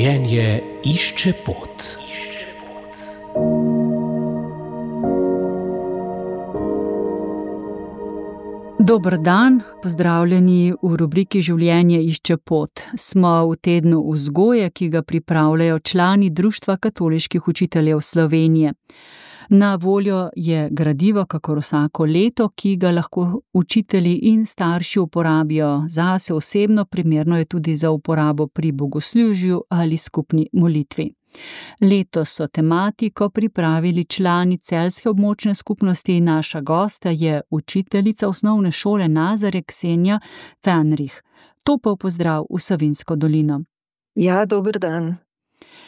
Življenje išče pot. Dober dan, pozdravljeni v rubriki Življenje išče pot. Smo v tednu vzgoje, ki ga pripravljajo člani Društva katoliških učiteljev Slovenije. Na voljo je gradivo, kakor vsako leto, ki ga lahko učitelji in starši uporabijo zase osebno, primerno je tudi za uporabo pri bogoslužju ali skupni molitvi. Letos so tematiko pripravili člani celjske območne skupnosti. Naša gosta je učiteljica osnovne šole Nazare Ksenija Fenrih. Topel pozdrav v Savinjsko dolino. Ja, dober dan.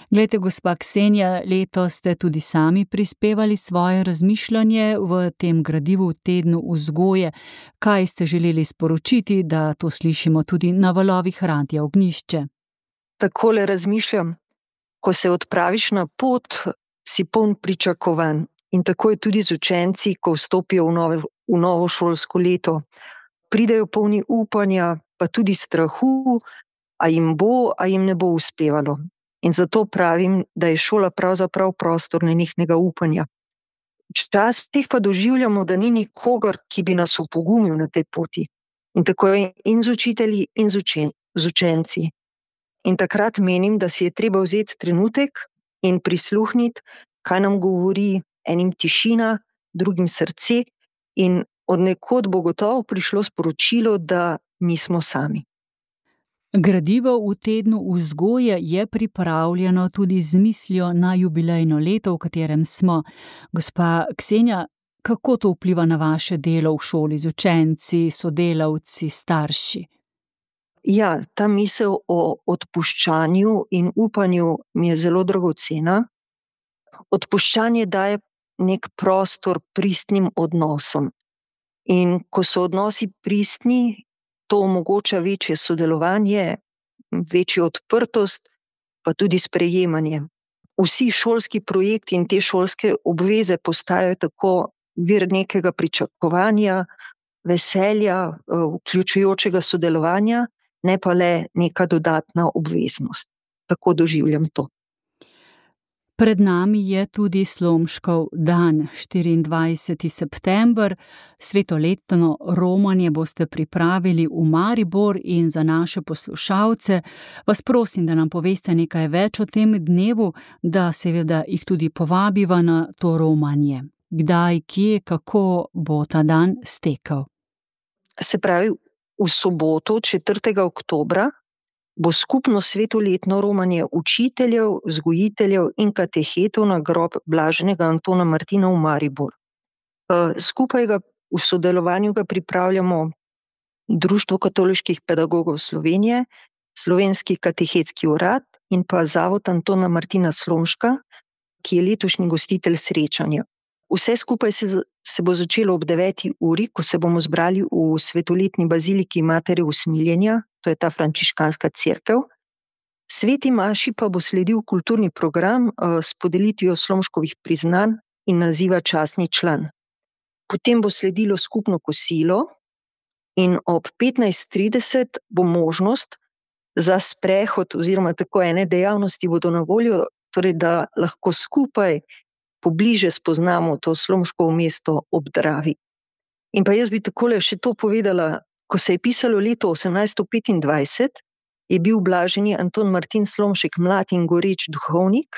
Glejte, gospa Ksenija, letos ste tudi sami prispevali svoje razmišljanje v tem gradivu v tednu vzgoje. Kaj ste želeli sporočiti, da to slišimo tudi na valovih Radia Ognjišče? Takole razmišljam. Ko se odpraviš na pot, si poln pričakovanj. In tako je tudi z učenci, ko vstopijo v novo šolsko leto. Pridejo polni upanja, pa tudi strahu, a jim bo, a jim ne bo uspevalo. In zato pravim, da je šola pravzaprav prostor nenehnega upanja. Včasih pa doživljamo, da ni nikogar, ki bi nas opogumil na tej poti. In tako je in z učitelji, in z učenci. In takrat menim, da si je treba vzeti trenutek in prisluhniti, kaj nam govori, enim tišina, drugim srce, in od nekod bo gotovo prišlo sporočilo, da nismo sami. Gradivo v tednu vzgoje je pripravljeno tudi z mislijo na jubilejno leto, v katerem smo. Gospa Ksenija, kako to vpliva na vaše delo v šoli z učenci, sodelavci, starši? Ja, ta misel o odpuščanju in upanju mi je zelo dragocena. Odpuščanje daje nek prostor pristnim odnosom. In ko so odnosi pristni, to omogoča večje sodelovanje, večjo odprtost, pa tudi sprejemanje. Vsi šolski projekti in te šolske obveze postajajo tako vir nekega pričakovanja, veselja, vključujočega sodelovanja, ne pa le neka dodatna obveznost. Tako doživljam to. Pred nami je tudi Slomškov dan, 24. september. Svetoletno romanje boste pripravili v Maribor in za naše poslušalce vas prosim, da nam poveste nekaj več o tem dnevu, da seveda jih tudi povabiva na to romanje. Kdaj, kje, kako bo ta dan stekel? Se pravi, v soboto, 4. oktobra, bo skupno svetoletno romanje učiteljev, vzgojiteljev in katehetov na grob blaženega Antona Martina v Maribor. Skupaj v sodelovanju ga pripravljamo Društvo katoliških pedagogov Slovenije, Slovenski katehetski urad in pa Zavod Antona Martina Slomška, ki je letošnji gostitelj srečanja. Vse skupaj se bo začelo ob 9. uri, ko se bomo zbrali v svetoletni baziliki Matere Usmiljenja, to je ta frančiškanska cerkev. Sveti maši pa bo sledil kulturni program s podelitvijo Slomškovih priznanj in naziva častni član. Potem bo sledilo skupno kosilo in ob 15:30 bo možnost za sprehod oziroma tako ene dejavnosti bodo na voljo, torej da lahko skupaj pobliže spoznamo to Slomškovo mesto ob Dravi. In pa jaz bi takole še to povedala, ko se je pisalo leto 1825, je bil blaženi Anton Martin Slomšek mlad in goreč duhovnik,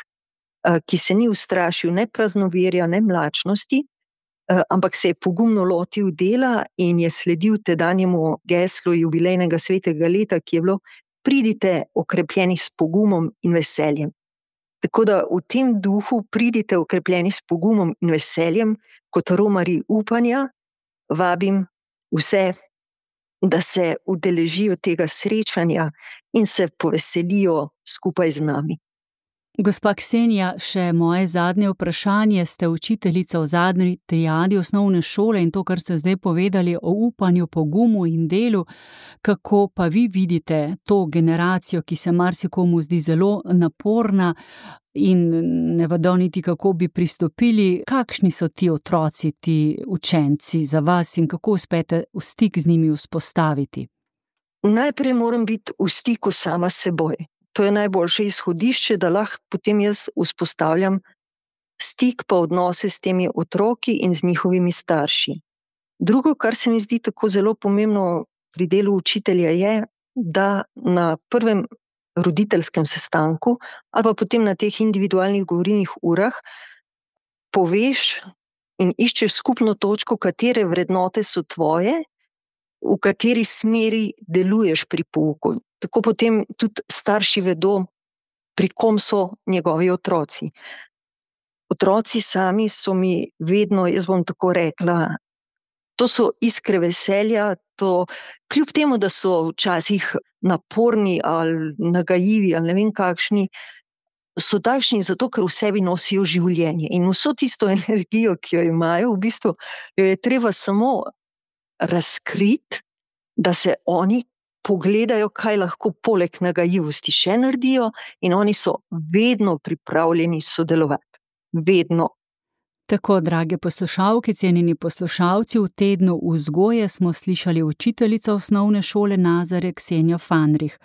ki se ni ustrašil ne praznoverja, ne mlačnosti, ampak se je pogumno lotil dela in je sledil tedanjemu geslu jubilejnega svetega leta, ki je bilo: pridite okrepljeni s pogumom in veseljem. Tako da v tem duhu pridite okrepljeni s pogumom in veseljem, kot romarji upanja, vabim vse, da se udeležijo tega srečanja in se poveselijo skupaj z nami. Gospa Ksenija, še moje zadnje vprašanje. Ste učiteljica v zadnji triadi osnovne šole in to, kar ste zdaj povedali o upanju, pogumu in delu, kako pa vi vidite to generacijo, ki se marsikomu zdi zelo naporna in ne vedo niti, kako bi pristopili? Kakšni so ti otroci, ti učenci za vas in kako uspete v stik z njimi vzpostaviti? Najprej moram biti v stiku sama s seboj. to je najboljše izhodišče, da lahko potem jaz vzpostavljam stik pa odnose s temi otroki in z njihovimi starši. Drugo, kar se mi zdi tako zelo pomembno pri delu učitelja, je, da na prvem roditeljskem sestanku ali pa potem na teh individualnih govorilnih urah poveš in iščeš skupno točko, katere vrednote so tvoje, v kateri smeri deluješ pri pouku. Tako potem tudi starši vedo, pri kom so njegovi otroci. Otroci sami so mi vedno, jaz bom tako rekla, to so iskre veselja, to, kljub temu, da so včasih naporni ali nagajivi ali ne vem kakšni, so takšni zato, ker v sebi nosijo življenje. In vso tisto energijo, ki jo imajo, v bistvu jo je treba samo razkriti, da se oni pogledajo, kaj lahko poleg nagajivosti še naredijo, in oni so vedno pripravljeni sodelovati. Vedno. Tako, drage poslušalke, cenjeni poslušalci, v tednu vzgoje smo slišali učiteljico osnovne šole Nazare Ksenijo Fanrih.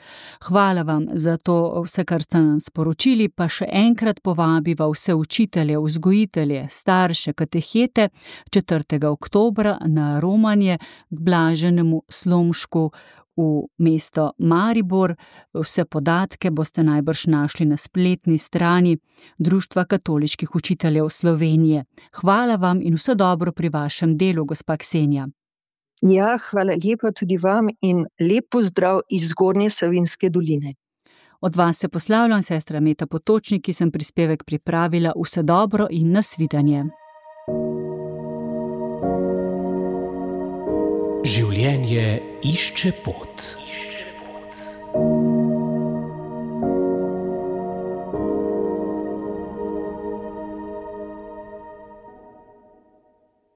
Hvala vam za to vse, kar ste nam sporočili, pa še enkrat povabiva vse učitelje, vzgojitelje, starše, katehete 4. oktobra na romanje k Blaženemu Slomšku v mesto Maribor. Vse podatke boste najbrž našli na spletni strani Društva katoliških učiteljev Slovenije. Hvala vam in vse dobro pri vašem delu, gospa Ksenija. Ja, hvala lepa tudi vam in lep pozdrav iz Zgornje Savinjske doline. Od vas se poslavljam, sestra Meta Potočnik, ki sem prispevek pripravila. Vse dobro in nasvidenje. Življenje išče pot.